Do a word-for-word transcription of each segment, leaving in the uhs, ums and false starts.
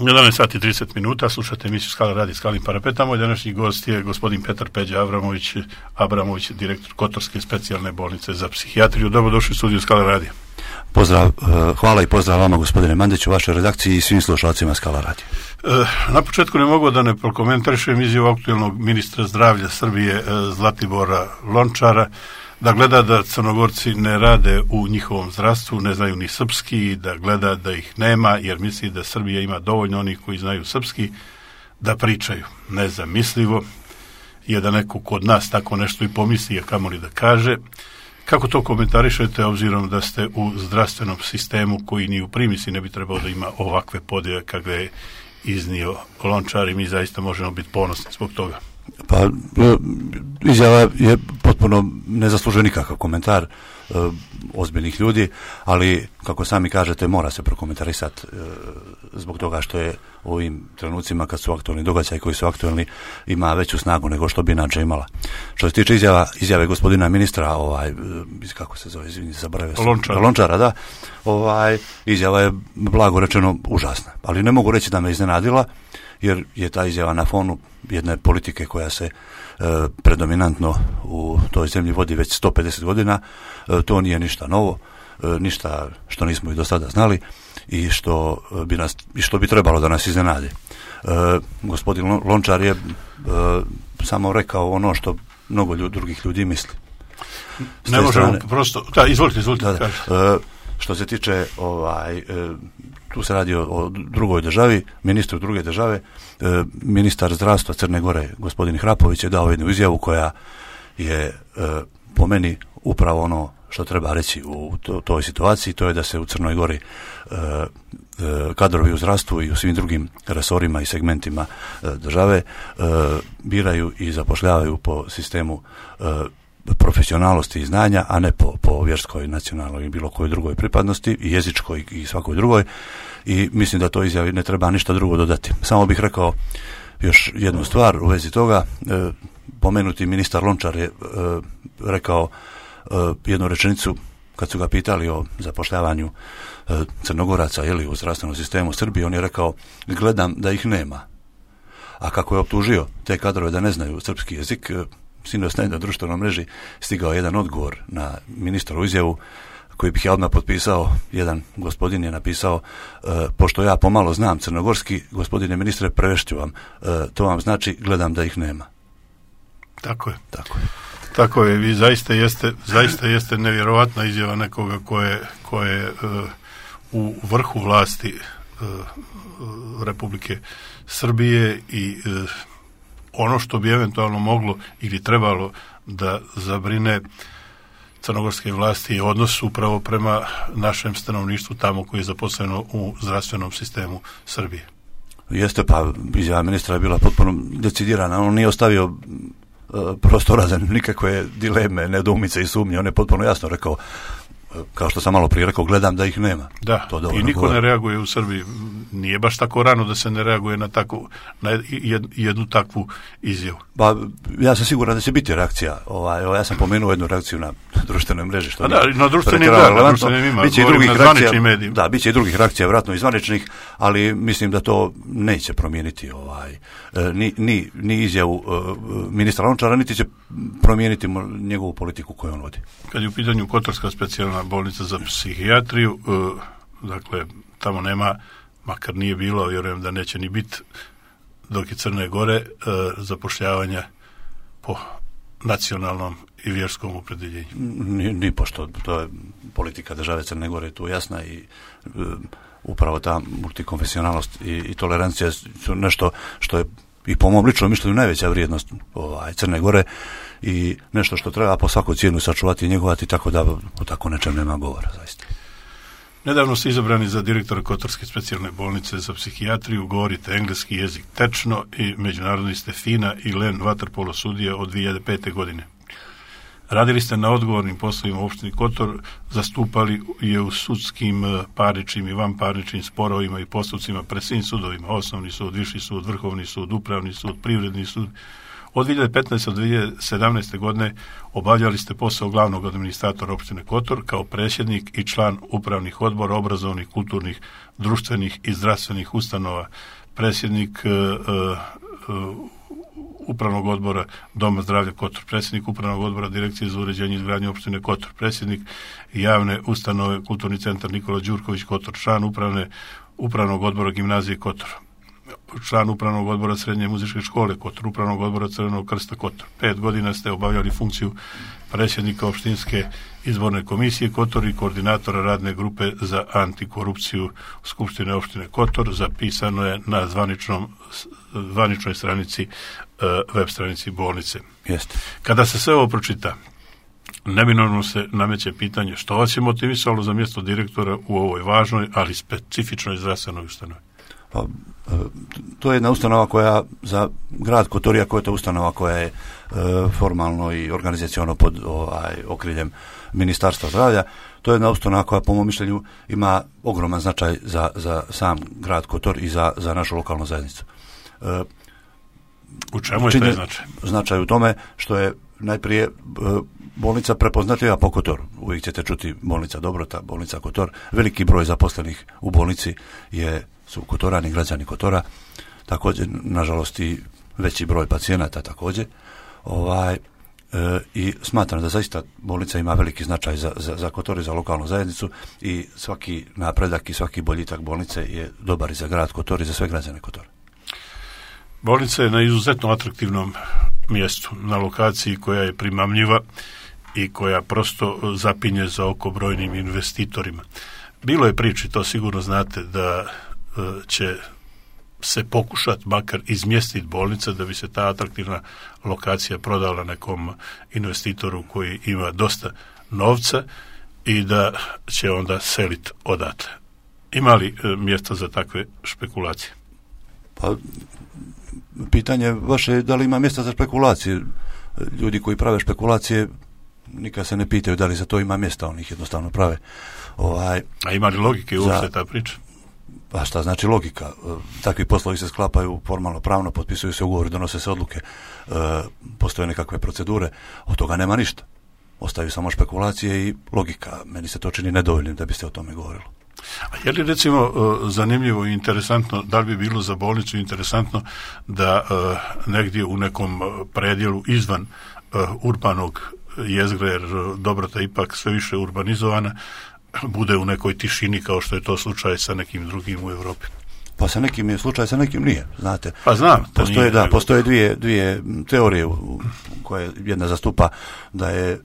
jedanaest sati i trideset minuta, slušate emisiju Skala radi Skalnim parapetom. Moj današnji gost je gospodin Petar Peđa Abramović, Abramović, direktor Kotorske specijalne bolnice za psihijatriju. Dobrodošli u studiju Skala radija. Pozdrav, hvala i pozdrav vama, gospodine Mandiću, vašoj redakciji i svim slušalcima Skala radija. Na početku ne mogu da ne prokomentarišem izjavu aktuelnog ministra zdravlja Srbije Zlatibora Lončara, da gleda da Crnogorci ne rade u njihovom zdravstvu, ne znaju ni srpski, da gleda da ih nema, jer misli da Srbija ima dovoljno onih koji znaju srpski da pričaju. Nezamislivo je da neko kod nas tako nešto i pomisli, a kamoli da kaže. Kako to komentarišete, obzirom da ste u zdravstvenom sistemu koji ni u primisli ne bi trebao da ima ovakve podjele kakve je iznio Lončar i mi zaista možemo biti ponosni zbog toga? Pa, izjava je potpuno nezaslužuje nikakav komentar e, ozbiljnih ljudi, ali kako sami kažete mora se prokomentarisati e, zbog toga što je u ovim trenucima kad su aktualni događaji koji su aktualni ima veću snagu nego što bi inače imala. Što se tiče izjava, izjave gospodina ministra, ovaj, kako se zove, izvini, zaboravio sam. Lončara. Lončara, da. Ovaj, izjava je blago rečeno užasna, ali ne mogu reći da me iznenadila, jer je ta izjava na fonu jedne politike koja se e, predominantno u toj zemlji vodi već sto pedeset godina. E, to nije ništa novo, e, ništa što nismo i do sada znali i što bi, nas, i što bi trebalo da nas iznenadi. E, gospodin Lončar je e, samo rekao ono što mnogo ljud, drugih ljudi misli. Ne možemo strane, prosto... Da, izvolite, izvolite. Da, da, e, što se tiče ovaj... E, tu se radi o, o drugoj državi, ministru druge države. E, ministar zdravstva Crne Gore, gospodin Hrapović, je dao jednu izjavu koja je e, po meni upravo ono što treba reći u to, toj situaciji, to je da se u Crnoj Gori e, e, kadrovi u zdravstvu i u svim drugim resorima i segmentima e, države e, biraju i zapošljavaju po sistemu e, profesionalnosti i znanja, a ne po, po vjerskoj, nacionalnoj i bilo kojoj drugoj pripadnosti, i jezičkoj i svakoj drugoj, i mislim da to izjavi ne treba ništa drugo dodati. Samo bih rekao još jednu stvar u vezi toga. E, pomenuti ministar Lončar je e, rekao e, jednu rečenicu kad su ga pitali o zapošljavanju e, Crnogoraca ili u zdravstvenom sistemu Srbije. On je rekao, gledam da ih nema. A kako je optužio te kadrove da ne znaju srpski jezik, e, sinoć na društvenoj mreži stigao jedan odgovor na ministrovu izjavu koji bih ja odmah potpisao. Jedan gospodin je napisao, e, pošto ja pomalo znam crnogorski, gospodine ministre, prevešću vam. E, to vam znači, gledam da ih nema. Tako je. Tako je. Tako je. Vi zaista jeste, zaista jeste nevjerovatna izjava nekoga koje, koje uh, u vrhu vlasti uh, Republike Srbije i uh, ono što bi eventualno moglo ili trebalo da zabrine crnogorske vlasti je odnos upravo prema našem stanovništvu tamo koji je zaposleno u zdravstvenom sistemu Srbije. Jeste, pa izjava ministra je bila potpuno decidirana. On nije ostavio uh, prostora za nikakve dileme, nedoumice i sumnje. On je potpuno jasno rekao, kao što sam malo prije rekao, gledam da ih nema. Da, to i niko govori. Ne reaguje u Srbiji. Nije baš tako rano da se ne reaguje na, takvu, na jed, jednu takvu izjavu. Ba, ja sam siguran da će biti reakcija. Ovaj, ovaj, ja sam pomenuo jednu reakciju na društvenoj mreži. Što A da, na društvenim da, na društvenim ima. Biće i drugih reakcija, da, biće i drugih reakcija, vjerojatno i zvaničnih, ali mislim da to neće promijeniti ovaj, ni, ni, ni izjavu uh, ministra Lončara, niti će promijeniti njegovu politiku koju on vodi. Kad je u pitanju Kotorska specijalna bolnica za psihijatriju, uh, dakle, tamo nema, makar nije bilo, vjerujem da neće ni biti, dok je Crne Gore, uh, zapošljavanja po nacionalnom i vjerskom opredjeljenju. Ni, ni pošto, to je politika države Crne Gore tu jasna i uh, upravo ta multikonfesionalnost i, i tolerancija su nešto što je i po mom ličnom mišljenju najveća vrijednost ovaj, Crne Gore i nešto što treba po svaku cijenu sačuvati i njegovati, tako da o tako nečem nema govora, zaista. Nedavno ste izabrani za direktora Kotorske specijalne bolnice za psihijatriju, govorite engleski jezik tečno i međunarodni ste FINA i Len vaterpolo sudija od dvije hiljade pete. godine. Radili ste na odgovornim poslovima u opštini Kotor, zastupali je u sudskim, parničnim i vanparničnim sporovima i postupcima pred svim sudovima, osnovni sud, viši sud, vrhovni sud, upravni sud, privredni sud, Od dvije hiljade petnaeste do dvije hiljade sedamnaeste godine obavljali ste posao glavnog administratora opštine Kotor kao predsjednik i član upravnih odbora obrazovnih, kulturnih, društvenih i zdravstvenih ustanova, predsjednik uh, uh, upravnog odbora Doma zdravlja Kotor, predsjednik upravnog odbora Direkcije za uređenje i izgradnju opštine Kotor, predsjednik javne ustanove Kulturni centar Nikola Đurković Kotor, član upravne, upravnog odbora Gimnazije Kotor, član upravnog odbora Srednje muzičke škole Kotor, upravnog odbora Crvenog krsta Kotor. Pet godina ste obavljali funkciju predsjednika opštinske izborne komisije Kotor i koordinatora radne grupe za antikorupciju Skupštine opštine Kotor. Zapisano je na zvaničnom, zvaničnoj stranici, web stranici bolnice. Jeste. Kada se sve ovo pročita, neminovno se nameće pitanje što vas je motivisalo za mjesto direktora u ovoj važnoj, ali specifičnoj zdravstvenoj ustanovi? Pa, to je jedna ustanova koja za grad Kotor, iako je to ustanova koja je e, formalno i organizaciono pod ovaj, okriljem Ministarstva zdravlja, to je jedna ustanova koja po mom mišljenju ima ogroman značaj za, za sam grad Kotor i za, za našu lokalnu zajednicu. E, u čemu je taj značaj? Značaj u tome što je najprije e, bolnica prepoznatljiva po Kotoru. Uvijek ćete čuti bolnica Dobrota, bolnica Kotor. Veliki broj zaposlenih u bolnici je su Kotorani, građani Kotora, također, nažalost, i veći broj pacijenata također. Ovaj, e, I smatram da zaista bolnica ima veliki značaj za, za, za Kotor i za lokalnu zajednicu i svaki napredak i svaki boljitak bolnice je dobar i za grad Kotor i za sve građane Kotora. Bolnica je na izuzetno atraktivnom mjestu, na lokaciji koja je primamljiva i koja prosto zapinje za oko brojnim investitorima. Bilo je priči, to sigurno znate, da će se pokušati makar izmjestiti bolnica da bi se ta atraktivna lokacija prodala nekom investitoru koji ima dosta novca i da će onda seliti odatle. Ima li e, mjesta za takve špekulacije? Pa, pitanje vaše je da li ima mjesta za špekulacije. Ljudi koji prave špekulacije nikad se ne pitaju da li za to ima mjesta, oni ih jednostavno prave. Ovaj, A ima li logike uopšte ta priča? Pa šta znači logika? Takvi poslovi se sklapaju formalno pravno, potpisuju se ugovori, donose se odluke, e, postoje nekakve procedure, od toga nema ništa. Ostaju samo špekulacije i logika. Meni se to čini nedovoljnim da biste o tome govorili. A je li recimo zanimljivo i interesantno, da li bi bilo za bolnicu interesantno da negdje u nekom predjelu izvan urbanog jezgra, jer Dobrota ipak sve više urbanizovana, bude u nekoj tišini kao što je to slučaj sa nekim drugim u Europi? Pa sa nekim je slučaj, sa nekim nije, znate. Pa znam. Postoje, da, postoje dvije, dvije teorije u koje jedna zastupa da je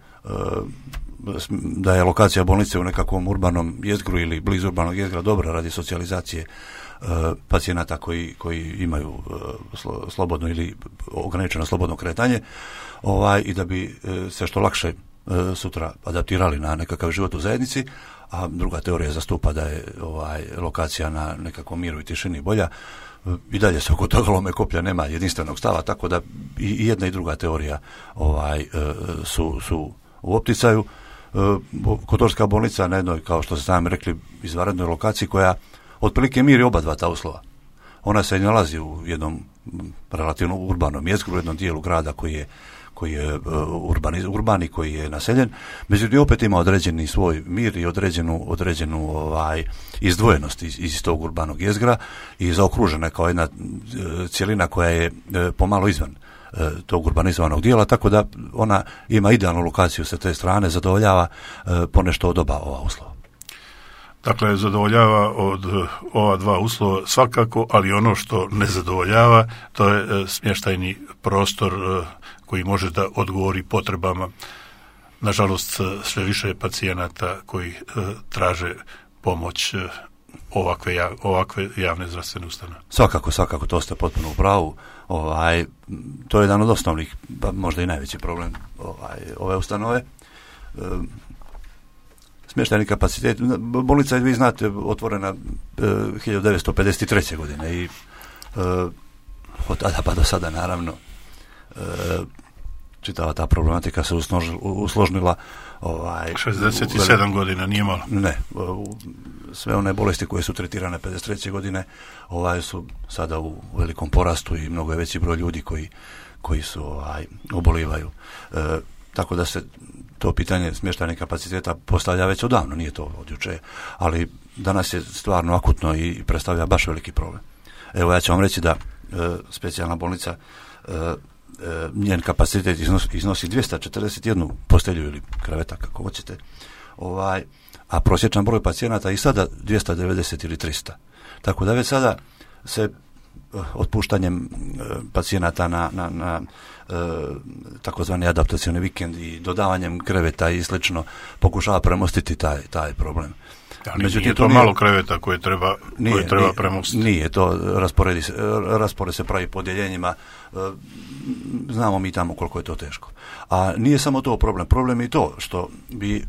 da je lokacija bolnice u nekakvom urbanom jezgru ili blizu urbanog jezgra dobra radi socijalizacije uh, pacijenata koji, koji imaju uh, slo, slobodno ili ograničeno slobodno kretanje, ovaj, i da bi uh, se što lakše uh, sutra adaptirali na nekakav život u zajednici, a druga teorija zastupa da je ovaj, lokacija na nekakvom miru i tišini bolja. Uh, I dalje se oko toga lome koplja, nema jedinstvenog stava, tako da i, i jedna i druga teorija ovaj, uh, su, su u opticaju. Kotorska bolnica na jednoj, kao što ste sami rekli, izvanrednoj lokaciji koja otprilike miri oba dva ta uslova. Ona se nalazi u jednom relativno urbanom jezgru, u jednom dijelu grada koji je, koji je urbani, urbani, koji je naseljen, međutim opet ima određeni svoj mir i određenu, određenu ovaj, izdvojenost iz, iz tog urbanog jezgra i zaokružena kao jedna cjelina koja je pomalo izvan tog urbanizovanog dijela, tako da ona ima idealnu lokaciju sa te strane, zadovoljava e, ponešto od oba ova uslova. Dakle, zadovoljava od ova dva uslova svakako, ali ono što ne zadovoljava, to je e, smještajni prostor e, koji može da odgovori potrebama. Nažalost, sve više pacijenata koji e, traže pomoć e, ovakve, jav, ovakve javne zdravstvene ustanove. Svakako, svakako, to ste potpuno u pravu. Ovaj, to je jedan od osnovnih, pa možda i najveći problem ovaj, ove ustanove. E, smještajni kapacitet. Bolnica je, vi znate, otvorena e, hiljadu devetsto pedeset treće godine i e, od tada pa do sada, naravno, e, čitava ta problematika se usnožila, usložnila. Ovaj, šezdeset sedam godina, nije malo. Ne, u, sve one bolesti koje su tretirane pedeset treće godine ovaj, su sada u velikom porastu i mnogo je veći broj ljudi koji, koji su ovaj, obolivaju. E, tako da se to pitanje smještajnih kapaciteta postavlja već odavno, nije to od juče, ali danas je stvarno akutno i predstavlja baš veliki problem. Evo, ja ću vam reći da e, specijalna bolnica, e, e, njen kapacitet iznosi, iznosi dvjesto četrdeset jednu postelju ili kreveta, kako hoćete, ovaj, a prosječan broj pacijenata i sada dvjesto devedeset ili tristo. Tako da već sada se otpuštanjem pacijenata na, na, na e, takozvani adaptacioni vikend i dodavanjem kreveta i slično pokušava premostiti taj, taj problem. Ali međutim, nije to, to nije, malo kreveta koje treba, nije, koje treba nije, premostiti. Nije, to rasporedi se, raspored se pravi po odjeljenjima, znamo mi tamo koliko je to teško. A nije samo to problem, problem je i to što bi e,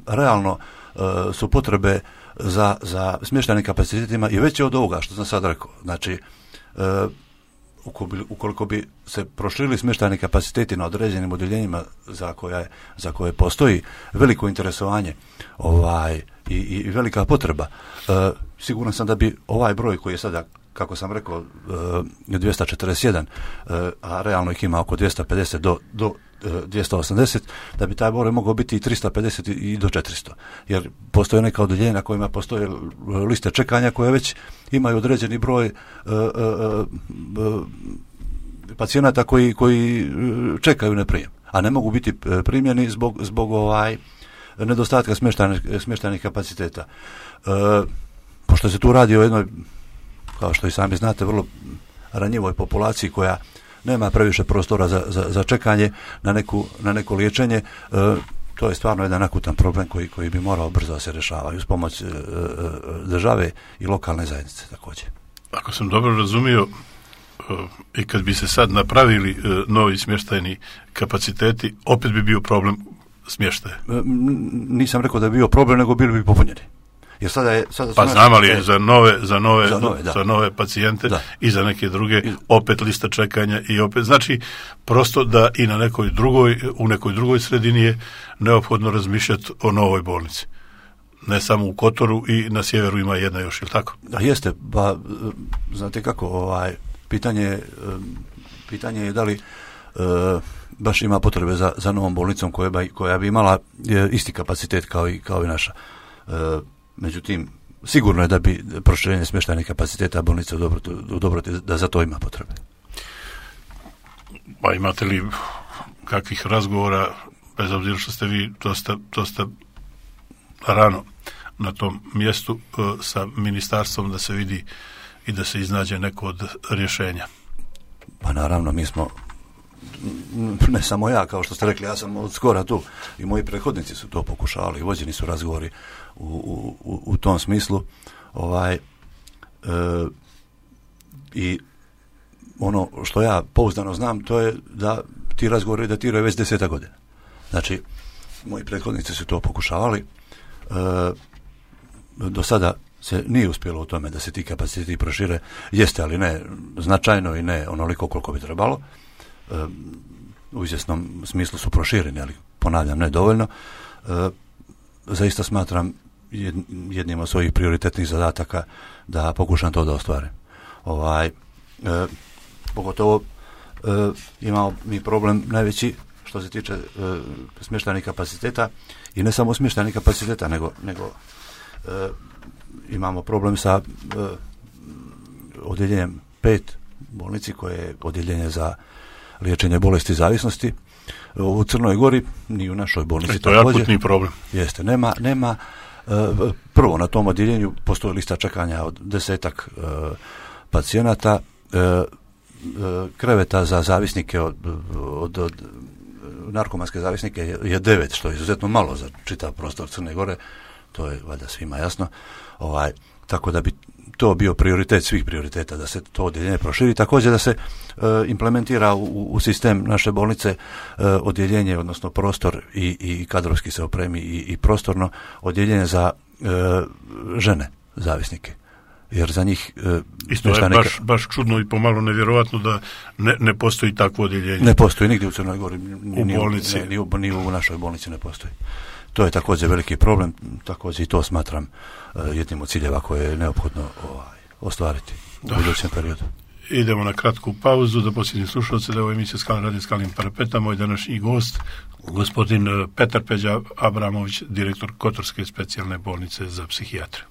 realno e, su potrebe za, za smještajnim kapacitetima i veće od ovoga što sam sad rekao. Znači, e, ukoliko bi se proširili smještajni kapaciteti na određenim odjeljenjima za koje, za koje postoji veliko interesovanje ovaj, i, i velika potreba, e, siguran sam da bi ovaj broj koji je sada, kako sam rekao, e, dvjesto četrdeset jedan, e, a realno ih ima oko dvjesto pedeset do, do dvjesto osamdeset, da bi taj broj mogao biti i tristo pedeset i do četiristo. Jer postoje neka odjeljenja na kojima postoje liste čekanja koje već imaju određeni broj uh, uh, uh, pacijenata koji, koji čekaju na prijem, a ne mogu biti primjeni zbog, zbog ovaj nedostatka smještajnih, smještajnih kapaciteta. Uh, pošto se tu radi o jednoj, kao što i sami znate, vrlo ranjivoj populaciji koja nema previše prostora za, za, za čekanje na, neku, na neko liječenje, e, to je stvarno jedan akutan problem koji, koji bi morao brzo da se rješava uz pomoć e, e, države i lokalne zajednice također. Ako sam dobro razumio, e, i kad bi se sad napravili e, novi smještajni kapaciteti, opet bi bio problem smještaja. E, nisam rekao da bi bio problem, nego bili bi popunjeni. Jer sada je, sada pa znamo li je za nove, za nove, za nove, za nove pacijente da. I za neke druge opet lista čekanja i opet, znači prosto da i na nekoj drugoj, u nekoj drugoj sredini je neophodno razmišljati o novoj bolnici. Ne samo u Kotoru i na sjeveru ima jedna još, ili tako? Da, jeste, pa znate kako, ovaj, pitanje, pitanje je da li uh, baš ima potrebe za, za novom bolnicom koja bi, koja bi imala je, isti kapacitet kao i, kao i naša. Uh, Međutim, sigurno je da bi proširenje smještajnih kapaciteta bolnice u Dobroti, u Dobroti da za to ima potrebe. Pa imate li kakvih razgovora, bez obzira što ste vi dosta, dosta rano na tom mjestu, sa ministarstvom da se vidi i da se iznađe neko od rješenja? Pa naravno, mi smo, ne samo ja, kao što ste rekli, ja sam od skora tu i moji prethodnici su to pokušavali, vođeni su razgovori u, u, u tom smislu, ovaj, e, i ono što ja pouzdano znam, to je da ti razgovori datiraju već deseta godina. Znači, moji prethodnici su to pokušavali, e, do sada se nije uspjelo u tome da se ti kapaciteti prošire, jeste, ali ne značajno i ne onoliko koliko bi trebalo. E, u izvjesnom smislu su prošireni, ali ponavljam, ne dovoljno. E, zaista smatram jednim od svojih prioritetnih zadataka da pokušam to da ostvarim. Ovaj, e, pogotovo e, imamo mi problem najveći što se tiče e, smještajnih kapaciteta i ne samo smještajnih kapaciteta, nego, nego e, imamo problem sa e, odjeljenjem pet bolnici koje je odjeljenje za liječenje bolesti zavisnosti u Crnoj Gori, ni u našoj bolnici. E, to je akutni problem. Jeste, nema, nema uh, prvo na tom odjeljenju postoji lista čekanja od desetak uh, pacijenata, uh, uh, kreveta za zavisnike od, od, od narkomanske zavisnike je, je devet, što je izuzetno malo za čitav prostor Crne Gore, to je valjda svima jasno. Ovaj, tako da bi to bio prioritet svih prioriteta, da se to odjeljenje proširi, također da se e, implementira u, u sistem naše bolnice e, odjeljenje, odnosno prostor i, i kadrovski se opremi i, i prostorno odjeljenje za e, žene zavisnike. Jer za njih e, isto je baš, neka... baš čudno i pomalo nevjerovatno da ne, ne postoji takvo odjeljenje. Ne postoji nigdje u Crnoj Gori, ni, u ni, bolnici. Ne, ni, u, ni u našoj bolnici ne postoji. To je također veliki problem, također i to smatram uh, jednim od ciljeva koje je neophodno ovaj, ostvariti u da. budućem periodu. idemo na kratku pauzu da posjetim slušalce da je ovo emisija Skalin radio Skalin parapeta. Moj današnji gost, gospodin Petar Peđa Abramović, direktor Kotorske specijalne bolnice za psihijatriju.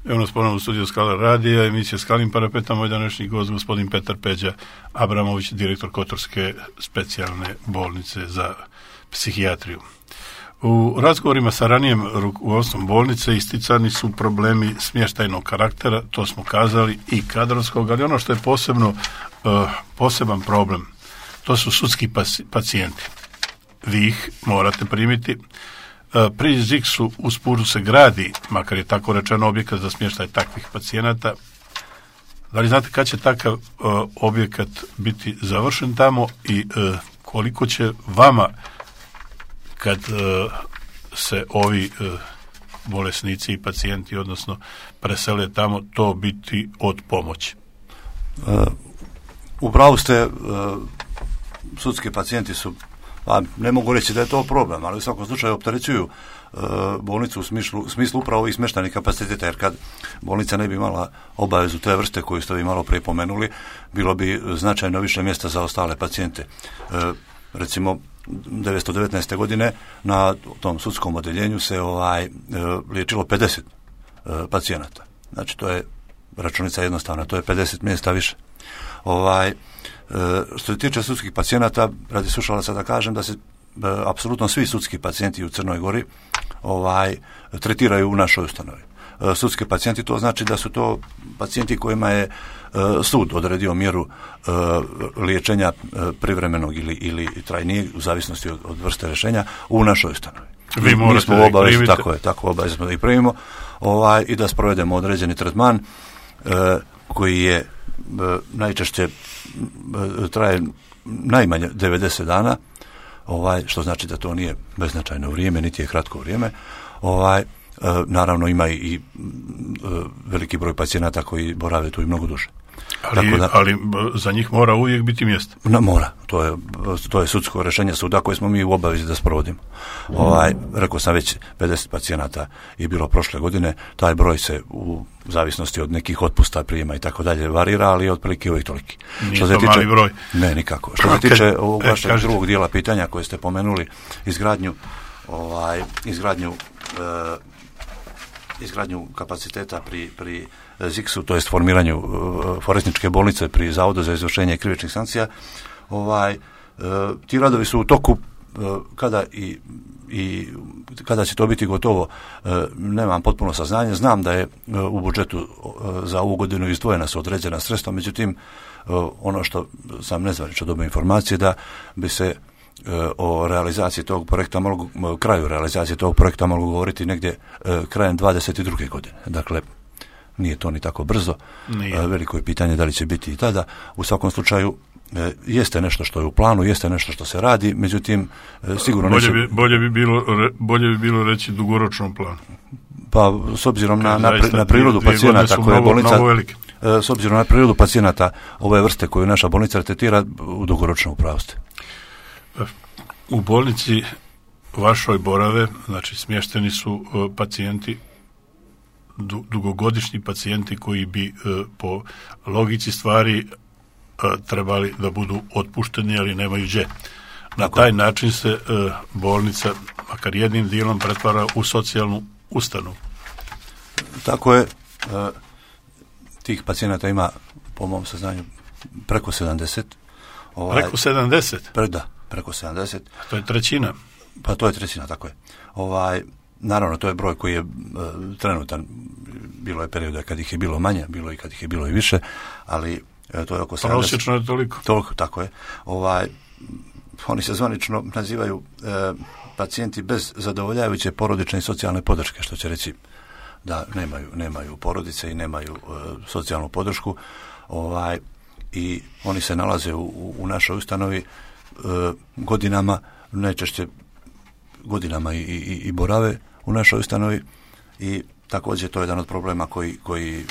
Evo nas ponovno u studiju Skala radija, emisija Skalin parapeta, moj današnji gost, gospodin Petar Peđa Abramović, direktor Kotorske specijalne bolnice za psihijatriju. U razgovorima sa ranijem rukovodstvom bolnice isticani su problemi smještajnog karaktera, to smo kazali, i kadrovskog, ali ono što je posebno uh, poseban problem, to su sudski pacijenti. Vi ih morate primiti. Pri Ziksu u Spuru se gradi, makar je tako rečeno, objekat za smještaj takvih pacijenata. Da li znate kad će takav uh, objekat biti završen tamo i uh, koliko će vama, kad uh, se ovi uh, bolesnici i pacijenti, odnosno presele tamo, to biti od pomoći? Uh, upravo ste, uh, sudski pacijenti su, pa ne mogu reći da je to problem, ali u svakom slučaju opterećuju e, bolnicu u smislu, u smislu upravo ovih smještajnih kapaciteta, jer kad bolnica ne bi imala obavezu te vrste koju ste vi malo prije pomenuli, bilo bi značajno više mjesta za ostale pacijente. E, recimo, devetsto devetnaeste. godine na tom sudskom odeljenju se ovaj e, liječilo pedeset e, pacijenata. Znači, to je računica jednostavna, to je pedeset mjesta više. Ovaj E, što se tiče sudskih pacijenata, radi slušalaca da kažem da se e, apsolutno svi sudski pacijenti u Crnoj Gori ovaj tretiraju u našoj ustanovi. E, sudski pacijenti, to znači da su to pacijenti kojima je e, sud odredio mjeru e, liječenja e, privremenog ili, ili trajnijeg, u zavisnosti od, od vrste rješenja, u našoj ustanovi. Vi morate Mi smo da ih obavezni, primite. tako je, tako obavezno da ih primimo, ovaj, i da sprovedemo određeni tretman e, koji je najčešće traje najmanje devedeset dana, ovaj, što znači da to nije beznačajno vrijeme, niti je kratko vrijeme. Ovaj, naravno ima i veliki broj pacijenata koji borave tu i mnogo duže. Ali, da, ali za njih mora uvijek biti mjesto. Na, mora, to je, to je sudsko rješenje suda koje smo mi u obavezi da sprovodimo. Ovaj, rekao sam već, pedeset pacijenata je bilo prošle godine, taj broj se u zavisnosti od nekih otpusta, prijema i tako dalje varira, ali je otprilike uvijek toliki. Nije što to tiče, mali broj. Ne, nikako. Što se tiče ovog vašeg e, drugog dijela pitanja koje ste pomenuli, izgradnju, ovaj, izgradnju e, izgradnju kapaciteta pri, pri Ziksu, to jest formiranju uh, forenzičke bolnice pri Zavodu za izvršenje krivičnih sankcija, ovaj, uh, ti radovi su u toku, uh, kada i, i kada će to biti gotovo, uh, nemam potpuno saznanje. Znam da je uh, u budžetu uh, za ovu godinu izdvojena su određena sredstva, međutim uh, ono što sam nezvanično dobio informacije da bi se o realizaciji tog projekta mogu, kraju realizacije tog projekta mogu govoriti negdje e, krajem dvadeset druge. godine. Dakle, nije to ni tako brzo. E, veliko je pitanje da li će biti i tada. U svakom slučaju, e, jeste nešto što je u planu, jeste nešto što se radi, međutim, e, sigurno bolje, neće... bi, bolje, bi bilo, bolje bi bilo reći dugoročnom planu. Pa, s obzirom na, na, na prirodu pacijenata koje je bolnica... E, s obzirom na prirodu pacijenata ove vrste koju naša bolnica tretira, u dugoročnom upravo ste. U bolnici vašoj borave, znači smješteni su uh, pacijenti, du, dugogodišnji pacijenti koji bi uh, po logici stvari uh, trebali da budu otpušteni, ali nemaju gdje. Na Tako. taj način se uh, bolnica, makar jednim dijelom, pretvara u socijalnu ustanovu. Tako je. Uh, tih pacijenata ima, po mom saznanju, preko sedamdeset. Ovaj, preko sedamdeset? Pre, da. Preko sedamdeset. To je trećina. Pa to je trećina, tako je. Ovaj, naravno, to je broj koji je e, trenutan. Bilo je perioda kad ih je bilo manje, bilo i kad ih je bilo i više, ali e, to je oko sedamdeset. Prosječno je toliko. Toliko, tako je. Ovaj, oni se zvanično nazivaju e, pacijenti bez zadovoljavajuće porodične i socijalne podrške, što će reći da nemaju, nemaju porodice i nemaju e, socijalnu podršku. Ovaj, i oni se nalaze u, u, u našoj ustanovi godinama, najčešće godinama i, i, i borave u našoj ustanovi i također to je jedan od problema koji, koji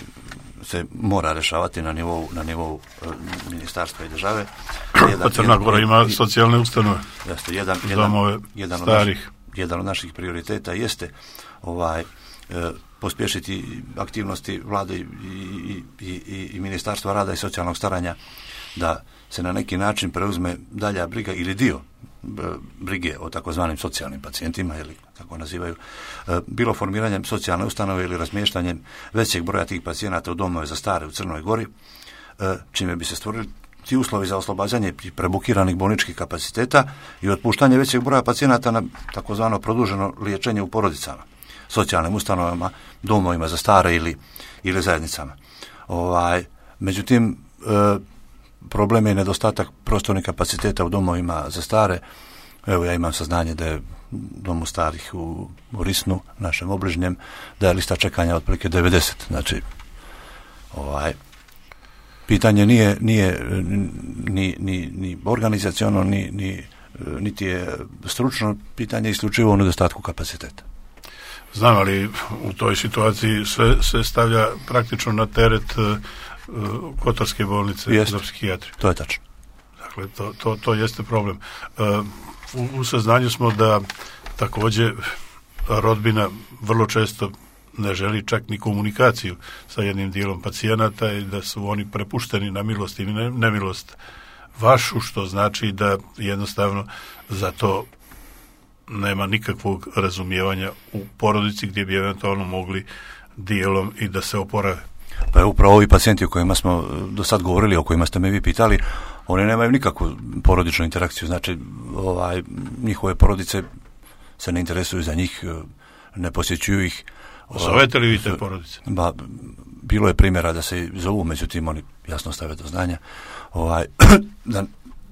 se mora rešavati na nivou, na nivou uh, ministarstva i države. Jedan, pa Crna Gora ima i, socijalne ustanove. Jeste, jedan, jedan, jedan, od naših, jedan od naših prioriteta jeste ovaj, uh, pospješiti aktivnosti vlade i, i, i, i, i ministarstva rada i socijalnog staranja da se na neki način preuzme dalja briga ili dio brige o takozvanim socijalnim pacijentima, ili kako nazivaju, bilo formiranjem socijalne ustanove ili razmještanjem većeg broja tih pacijenata u domove za stare u Crnoj Gori, čime bi se stvorili ti uslovi za oslobađanje prebukiranih bolničkih kapaciteta i otpuštanje većeg broja pacijenata na takozvano produženo liječenje u porodicama, socijalnim ustanovama, domovima za stare ili, ili zajednicama. Ovaj, međutim, e, problem je nedostatak prostornih kapaciteta u domovima za stare. Evo, ja imam saznanje da je domu starih u, u Risnu, našem obližnjem, da je lista čekanja otprilike devedeset. Znači, ovaj, pitanje nije, nije ni, ni, ni organizaciono, ni, ni, niti je stručno, pitanje isključivo u nedostatku kapaciteta. Znam, ali u toj situaciji sve se stavlja praktično na teret uh, Kotarske bolnice jest, za psihijatriju. To je tačno. Dakle, to, to, to jeste problem. Uh, u, u saznanju smo da također rodbina vrlo često ne želi čak ni komunikaciju sa jednim dijelom pacijenata i da su oni prepušteni na milost i nemilost vašu, što znači da jednostavno za to nema nikakvog razumijevanja u porodici gdje bi eventualno mogli dijelom i da se oporave. Pa je upravo ovi pacijenti o kojima smo do sad govorili, o kojima ste me vi pitali, oni nemaju nikakvu porodičnu interakciju, znači ovaj, njihove porodice se ne interesuju za njih, ne posjećuju ih. Zovete li vi te porodice? Ba, bilo je primjera da se zovu, međutim oni jasno stave do znanja ovaj, da,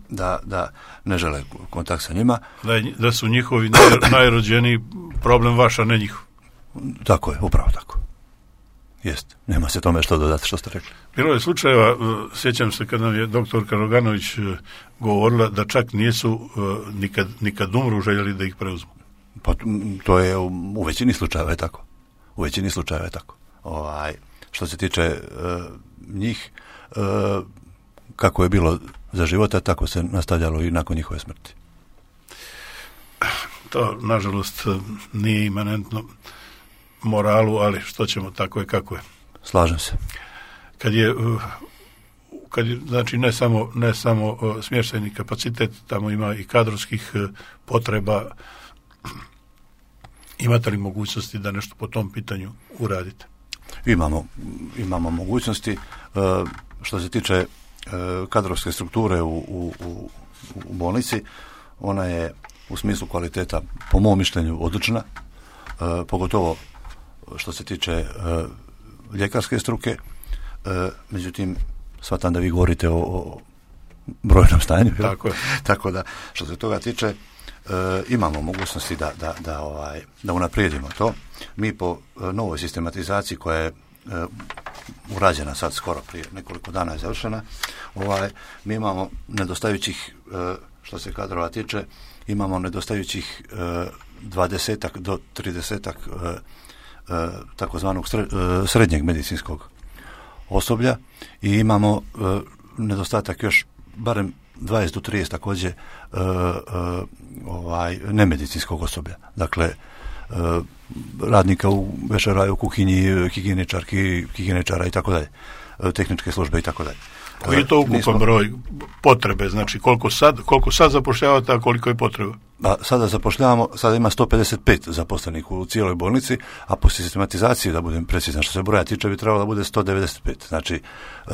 da, da ne žele kontakt sa njima. Da, je, da su njihovi naj, najrođeniji problem vaš, a ne njihov. Tako je, upravo tako. Jest, nema se tome što dodati, što ste rekli. Bilo je slučajeva, sjećam se kad nam je doktorka Roganović govorila da čak nisu nikad, nikad umru željeli da ih preuzmu. Pa to je u, u većini slučajeva je tako. U većini slučajeva je tako. Ovaj, što se tiče uh, njih, uh, kako je bilo za života, tako se nastavljalo i nakon njihove smrti. To, nažalost, nije imanentno moralu, ali što ćemo, tako je kako je. Slažem se. Kad je, kad je znači ne samo, ne samo smještajni kapacitet, tamo ima i kadrovskih potreba. Imate li mogućnosti da nešto po tom pitanju uradite? Imamo, imamo mogućnosti. Što se tiče kadrovske strukture u, u, u, u bolnici, ona je u smislu kvaliteta, po mom mišljenju, odlična, pogotovo što se tiče ljekarske struke. Međutim, shvatam da vi govorite o, o brojnom stanju. Tako je. Tako da, što se toga tiče, E, imamo mogućnosti da, da, da, ovaj, da unaprijedimo to. Mi po e, novoj sistematizaciji koja je e, urađena sad skoro prije nekoliko dana je završena, ovaj, mi imamo nedostajućih, e, što se kadrova tiče, imamo nedostajućih e, dvadesetak do tridesetak e, e, takozvanog sre, e, srednjeg medicinskog osoblja i imamo e, nedostatak još barem dvadeset do trideset također uh, uh, ovaj, nemedicinskog osoblja. Dakle, uh, radnika u vešeraju, u kuhinji, higijeničarki, higijeničara i tako dalje, tehničke službe i tako dalje. Koji je to ukupan Nismo... broj potrebe? Znači, koliko sad, koliko sad zapošljavate, a koliko je potreba? A sada zapošljavamo, sada ima sto pedeset pet zaposlenih u cijeloj bolnici, a po sistematizaciji, da budem precizan, što se broja tiče, bi trebalo da bude sto devedeset pet. Znači, uh,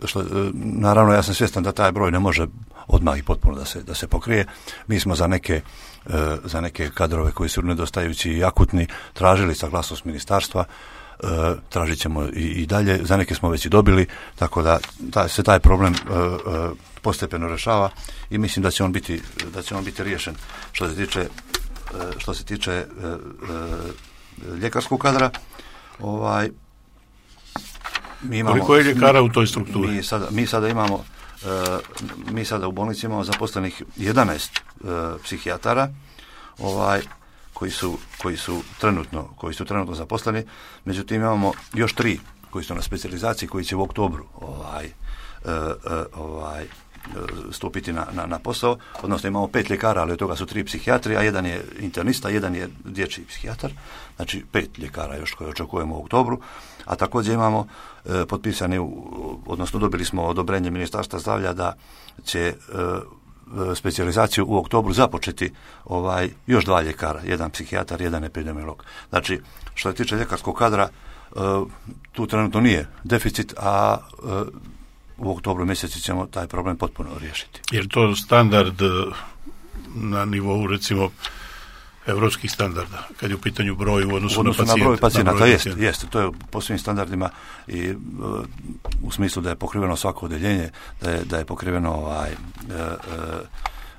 što, naravno ja sam svjestan da taj broj ne može odmah i potpuno da se, da se pokrije. Mi smo za neke, e, za neke kadrove koji su nedostajući i akutni tražili saglasnost ministarstva, e, tražit ćemo i, i dalje, za neke smo već i dobili, tako da taj, se taj problem e, e, postepeno rešava i mislim da će on biti, da će on biti riješen. Što se tiče, e, što se tiče e, e, ljekarskog kadra, ovaj Mi imamo, koliko je ljekara u toj strukturi? Mi sada, mi sada imamo, uh, mi sada u bolnici imamo zaposlenih jedanaest uh, psihijatara, ovaj, koji su, koji su trenutno, koji su trenutno zaposleni, međutim imamo još tri koji su na specijalizaciji, koji će u oktobru ovaj, e, e, ovaj, stupiti na, na, na posao, odnosno imamo pet ljekara, ali od toga su tri psihijatri, a jedan je internista, jedan je dječji psihijatar, znači pet ljekara još koje očekujemo u oktobru, a također imamo e, potpisani, odnosno dobili smo odobrenje Ministarstva zdravlja da će e, specijalizaciju u oktobru započeti ovaj, još dva ljekara, jedan psihijatar, jedan epidemiolog. Znači, što se tiče ljekarskog kadra, e, tu trenutno nije deficit, a e, u oktobru mjesecu ćemo taj problem potpuno riješiti. Jer to standard na nivou, recimo, evropskih standarda, kad je u pitanju broj u odnosu, u odnosu na pacijenta? Na broj pacijenata, broj jest, jest. To je po svim standardima i uh, u smislu da je pokriveno svako odeljenje, da je, da je pokriveno ovaj, uh, uh,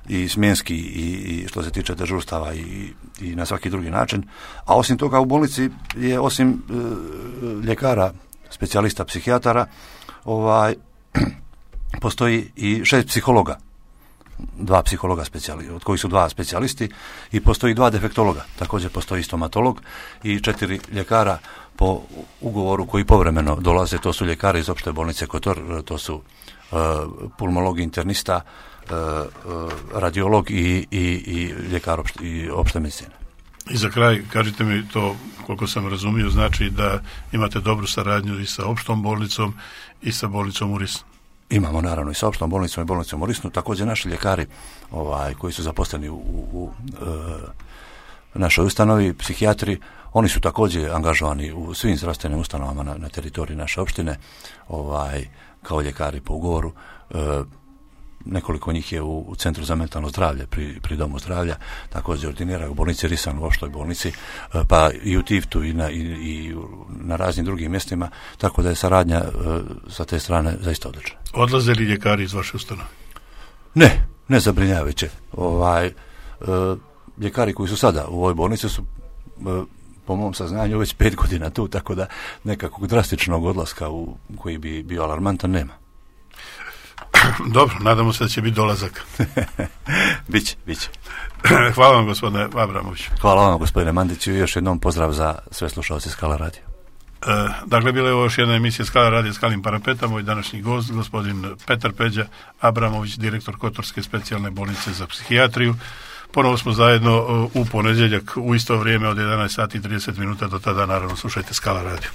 i smjenski i, i što se tiče dežurstava i, i na svaki drugi način. A osim toga u bolnici je osim uh, ljekara, specijalista, psihijatara, ovaj, postoji i šest psihologa, dva psihologa specijali, od kojih su dva specijalisti, i postoji dva defektologa, također postoji stomatolog i četiri ljekara po ugovoru koji povremeno dolaze, to su ljekari iz opšte bolnice Kotor, to su uh, pulmolog, internista, uh, uh, radiolog i, i, i ljekar opšte, i opšte medicine. I za kraj, kažite mi to, koliko sam razumio, znači da imate dobru saradnju i sa opštom bolnicom i sa bolnicom u Risnu. Imamo naravno i sa opštom bolnicom i bolnicom u Risnu, također naši ljekari ovaj, koji su zaposleni u, u, u e, našoj ustanovi, psihijatri, oni su također angažovani u svim zdravstvenim ustanovama na, na teritoriji naše opštine, ovaj, kao ljekari po ugovoru. E, nekoliko njih je u, u Centru za mentalno zdravlje pri, pri Domu zdravlja, također ordinira u bolnici Risan, u opštoj bolnici, pa i u Tiftu i na, i, i na raznim drugim mjestima, tako da je saradnja e, sa te strane zaista odlična. Odlaze li ljekari iz vaše ustanove? Ne, ne zabrinjavajuće. Ovaj, e, ljekari koji su sada u ovoj bolnici su e, po mom saznanju već pet godina tu, tako da nekakvog drastičnog odlaska u koji bi bio alarmantan nema. Dobro, nadamo se da će biti dolazak. Biće, biće. Hvala vam, gospodine Abramović. Hvala vam, gospodine Mandiću, i još jednom pozdrav za sve slušalce Skala radija. E, dakle, bila je ovo još jedna emisija Skala radija Skalim Parapeta. Moj današnji gost, gospodin Petar Peđa Abramović, direktor Kotorske specijalne bolnice za psihijatriju. Ponovo smo zajedno u ponedjeljak u isto vrijeme od jedanaest sati i trideset minuta. Do tada, naravno, slušajte Skala radio.